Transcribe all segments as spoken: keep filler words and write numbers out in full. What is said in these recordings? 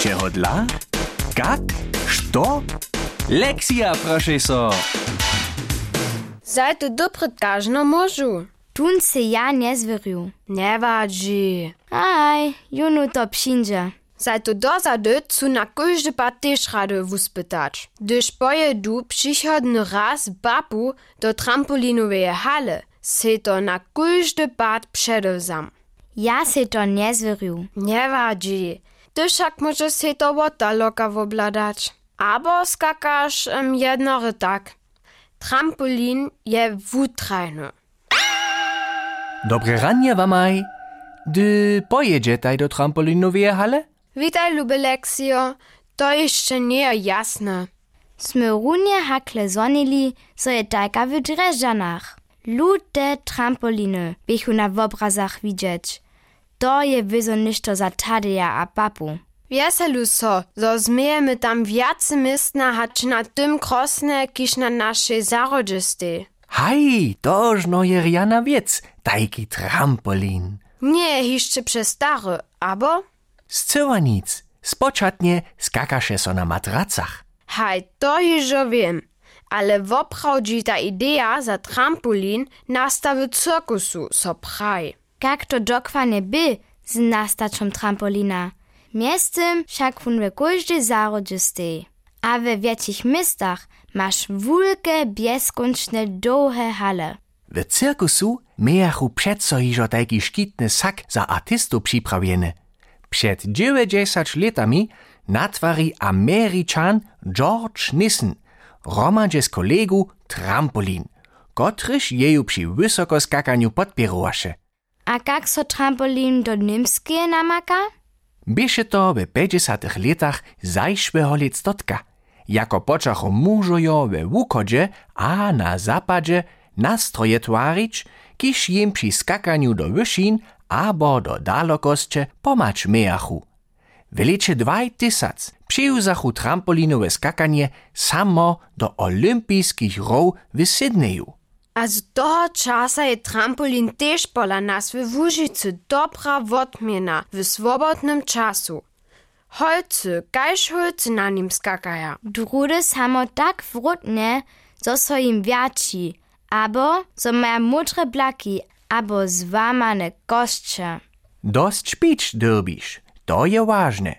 Čeho dla? Kak? Što? Lekcja, proszę so. Zajte dobry każno możu. Tun se ja nie zwierju. Nevadži. Aj, junu to przyjdzie. Zajte dozady cu na każdy pat też rady wuspytać. Gdyż pojedu przychodny raz babu do trampolinowej hale, se to na każdy pat przedewzam. Ja se to nie zwierju. Nevadži. Gdyż jak może se to wota loka wobladać. Abo skakasz um, jednory tak. Trampolin je wutrajny. Dobre ranie wamaj. Dy pojedziecie do trampolinowej hale? Witaj, lube Leksio. To jeszcze nie jasne. Sme runie hakle zonili, so je tajka w Dreżanach. Lute trampoliny bychu na obrazach widzieć. To je wyzo ništo za Tadeja a papu. Wieselu so, zo zmiejemy tam wiacy mistna, hać na tym krosne, kiż na naszej zarodzistej. Haj, tożno je rjana wiec, tajki trampolin. Nie, jeszcze przestary, abo? Zcyła nic, spoczatnie skakasze so na matracach. Haj, to już wiem, ale woprawdzi ta idea za trampolin nastawy cirkusu so praj. Jak to dokładnie by z nastaczą trampolina? Miestem však fun we każdej zarodzistej. A we wiecich miastach masz wulke, bieskončne, długie hale. W cirkusu miachu przedso hižo tajki škitny sak za artystów připrawieny. Przed dziewięćdziesięcioma latami natwari Američan George Nissen romadźe z kolegu trampolin, kotryż jeju przy wysokoskakaniu podpierowaše. A jak so trampolin do Nimskie namaka? Bieše to w päťdesiatych latach zajszłego lectotka, jako počachu mužojo we wukodzie a na zapadzie nastroje twarić, kiż jim przy skakaniu do wyszin abo do dalekosće pomacz mejachu. W lecie dwa tysiące przyjuzachu trampolinowe skakanie samo do olimpijskich row w Sydneyu. A z toho časa je trampolin też pola nas w Łužicy dobra wotmiena w swobodnym czasu. Holcy, kajż holcy na nim skakaja. Drudy samo tak wrutne, zo so im wiaci, abo so maja mudre blaki, abo zwamane kostcze. Dość pić derbisz, to je ważne.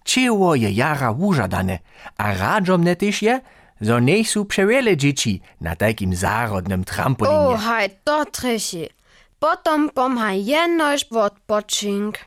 Cieło je jara wużadane, a radzomne też je, zo nie są przewiele dzieci na takim zarodnym trampolinie. O, haj, to treši. Potom pomha jednož odpočink.